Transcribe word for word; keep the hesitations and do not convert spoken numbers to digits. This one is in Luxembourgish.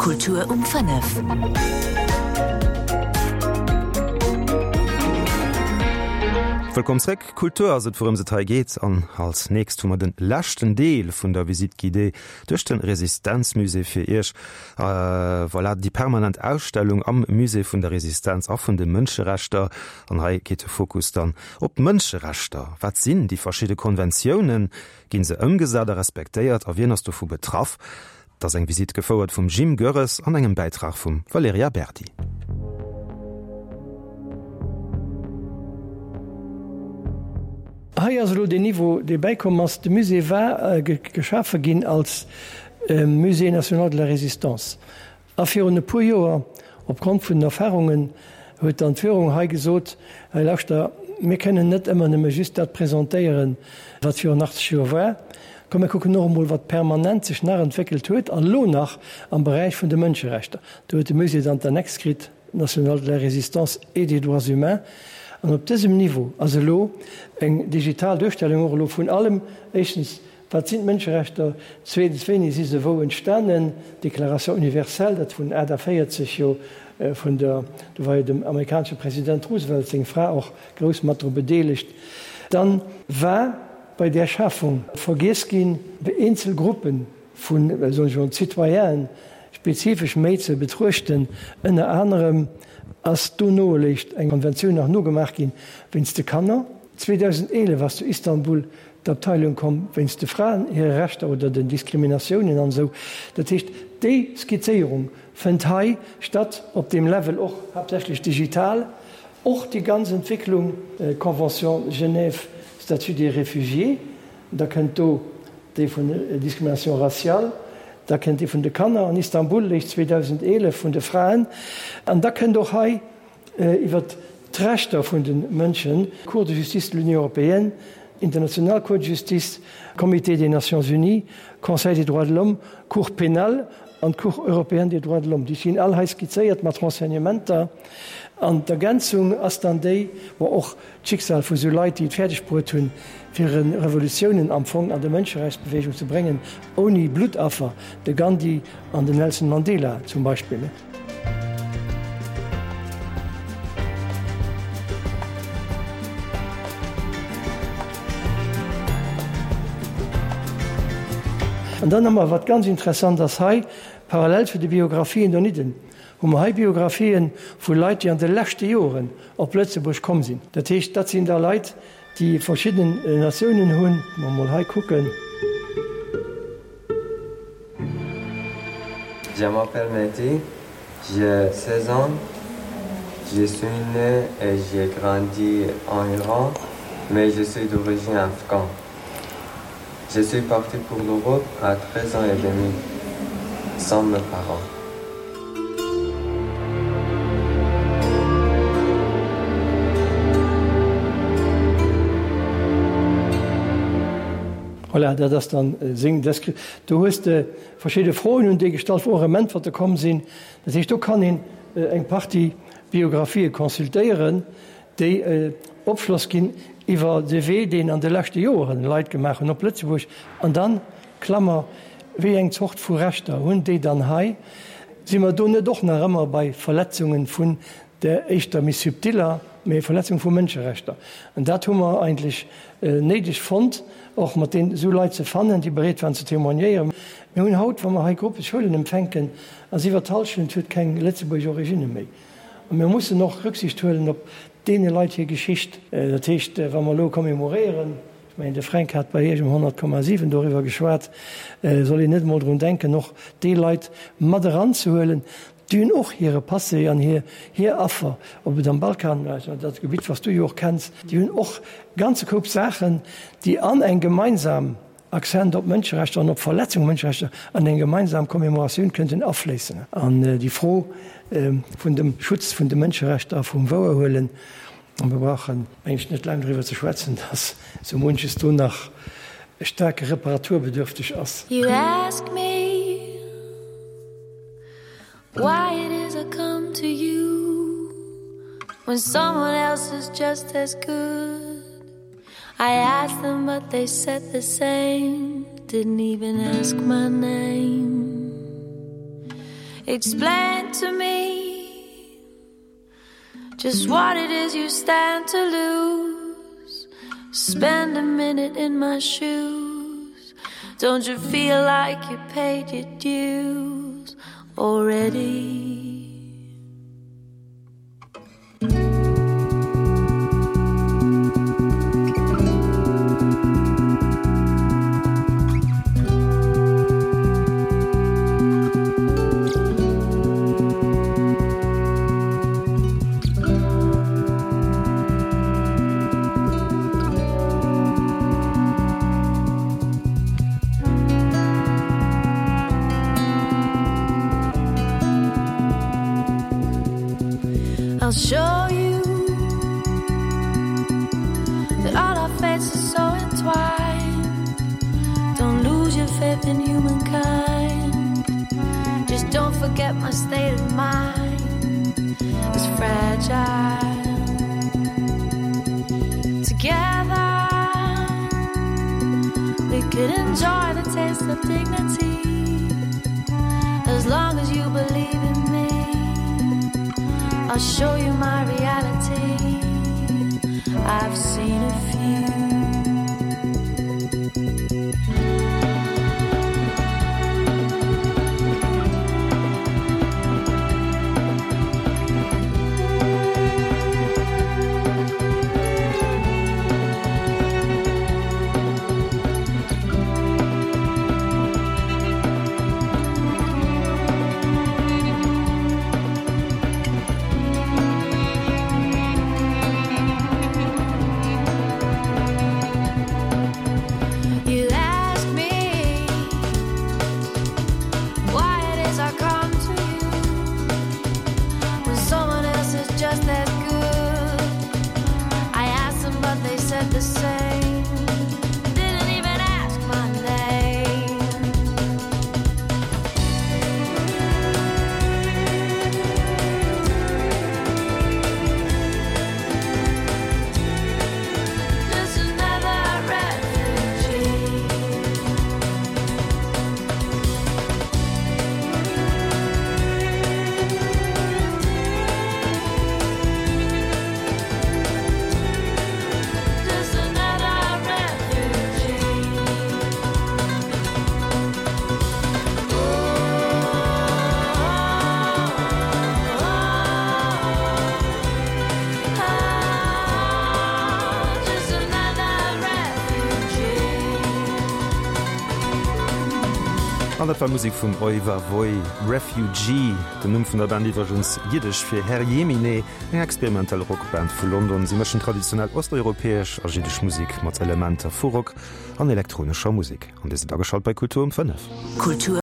Kultur um fënnef. Wëllkomm zréck. Kultur ass et, wourëms et hei geet. An als nächst hu mer de leschten Deel vun der Visite guidée duerch de Resistenzmusée fir Iech. Voilà, déi permanent Ausstellung am Musée vun der Resistenz a vun de Mënscherechter. An hei geet de Fokus dann op d'Mënscherechter. Wat sinn déi verschidde Konventiounen? Ginn se ëmgesat a respektéiert a wien ass dovu betraff? Dat ass eng Visitt gefouert vum Jim Goerres an engem Bäitrag vum Valerija Berdi. Hei ass elo deen Niveau, dee bäikomm ass. De Musée war geschafe ginn als Musée national de la Résistance. A virun e puer Joer, opgrond vun den Erfahrungen, huet dann d'Führung hei gesot, Hei lauschter, mir kënnen net ëmmer nëmme just dat presentéieren, wat virun achtzeg Joer war. Komm, mir kucken och emol, wat permanent sech nach entwéckelt huet an elo nach am Beräich vun de Mënscherechter. Do huet de Musée dann d'Annex kritt, National de la Résistance et des droits humains. An op dësem Niveau ass elo eng digital Duerstellung och elo vun allem, éischtens, wat sinn d'Mënscherechter, zweetens, wéini si se wou entstanen, d'Déclaration universelle, dat vun aachtavéierzeg jo vun der, do war jo dem amerikanesche President Roosevelt seng Fra och grouss mat dru bedeelegt. Dann war bei där Schafung vergiess ginn, eenzel Gruppe vu, soen ech emol, Citoyenen spezifesch méi ze betruechten. Ënner anerem ass dono eréischt eng Konventioun nach nogemaach ginn wéinst de Kanner. zweedausendeelef ass zu Istanbul d'Abteilung komm wéinst de Fraen hire Rechter oder den Diskriminatiounen an esou. Dat heescht, déi Skizzéierung fënnt hei statt op deem Level, och haaptsächlech digital. Och déi ganz Entwécklung, Convention Genève, Statut des réfugiés, da kënnt do déi vun Discrimination raciale, da kënnt déi vun de Kanner an Istanbul, léich zweedausendeelef vun de Fraen, an da kënnt och hei iwwert d'Rechter vun de Mënschen, Cour de justice de l'Union européenne, International Cour de justice, Comité des Nations unies, Conseil des droits de l'homme, Cour pénale an d'Cour européenne des droits de l'homme. Déi stinn all hei skizzéiert mat Renseignementer. An d'Ergänzung ass dann déi, bon, och d'Schicksal vu sou Leit, déi et fäerdeg bruet hunn, fir Revolutiounen am Fong an der Mënscherechtsbewegung ze bréngen, ouni Bluttaffer, de Gandhi an den Nelson Mandela zum Beispill. An dann hu mer, wat ganz interessant ass hei, parallel zu de Biographien donidden, hu mer hei Biographien vu Leit, déi an de leschte Joren op Lëtzebuerg komm sinn. Dat heescht, dat sinn da Leit, déi verschidden Natiounen hunn. Wa mer mol hei kucken. Je m'appelle Mehdi, j'ai seize ans, je suis né et j'ai grandi en Iran, mais je suis d'origine afghane. Je suis parti pour l'Europe à treize ans et demi, sans mes parents. Voilà, dat ass dann seng Descri-. Do hues de verschidde Froen un déi gestallt, wou och erëm Äntwerte komm sinn. Dat heescht, do kann een eng Partie Biografië consultéieren, déi Opschloss ginn iwwer de Wee, deen an de leschte Joren Leit gemaach hunn op Lëtzebuerg. An dann, Klammer, wéi eng Zort vu Rechter hunn déi dann hei? Si mer do net och nach ëmmer bei Verletzungen vun der éischter méi subtiller, mee Verletzung vu Mënscherechter? An dat hu mer eigentlech néideg fonnt, och mat deenen esou Leit ze fannen, déi bereet waren ze témoignéieren. Mir hunn haut, wa mer hei Gruppe Schoulen empfänken, ass iwwer d'Hallschent huet keng lëtzebuergesch Origine méi. A mir mussen och Rücksicht huelen op deene Leit hir Geschicht. Dat heescht, wa mer elo commémoréieren, ech mengen, de Fränk hat bei Iech um honnert Komma siwen doriwwer geschwat, soll een net emol drun denken, och déi Leit mat eranzehuelen, déi hunn och hire Passé an hir hir Affer, ob et am Balkan war, dat Gebitt, wat s du jo och kenns, déi hunn och e ganze Koup Saachen, déi an eng gemeinsam Accent op Mënscherechter an op Verletzung vu Mënscherechter an eng gemeinsam Commémoratioun kënnten afléissen. An déi Fro vun dem Schutz vun de Mënscherechter a vum Wouerhuelen, a mir brauchen, meng ech, net laang doriwwer ze schwätzen, dass sou munches do nach staark reparaturbedürfteg ass. You ask me why it is I come to you when someone else is just as good. I asked them but they said the same, didn't even ask my name. Explain to me just what it is you stand to lose. Spend a minute in my shoes. Don't you feel like you paid your dues already? I'll show you that all our fates are so entwined. Don't lose your faith in humankind. Just don't forget my state of mind is fragile. Together, we could enjoy the taste of dignity as long as you believe in me. I'll show you my reality. I've seen a few. You ask me why it is I come to you when someone else is just as good. I asked them, but they said the same. Didn't even ask my name. Just another refugee. Just another refugee. Oh, just another refugee. An dat war Musek vun Oi Va Voi, Refugee, den Numm vun der Band iwwregens jiddesch fir Herrjemine, eng experimentell Rockband vu London. Si mëschen traditionell osteuropäesch a jiddesch Musek mat Elementer vu Rock an elektronescher Musek. An dir sidd ageschalt bei Kultur um fënnef. Kultur